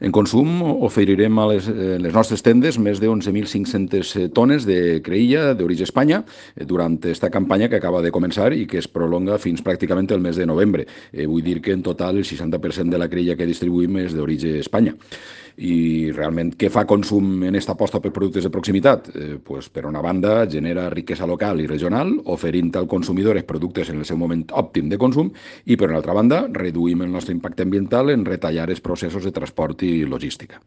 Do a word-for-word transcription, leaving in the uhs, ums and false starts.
En consum oferirem a les, eh, les nostres tendes més de onze mil cinc-centes tones de creïlla d'origen Espanya eh, durant esta campanya que acaba de començar i que es prolonga fins pràcticament el mes de novembre. Eh, vull dir que en total el seixanta per cent de la creïlla que distribuïm és d'origen Espanya. I realment què fa consum en esta aposta per productes de proximitat? Eh, pues, per una banda, genera riquesa local i regional, oferint al consumidor els productes en el seu moment òptim de consum, i per una altra banda, reduïm el nostre impacte ambiental en retallar els processos de transport i logística.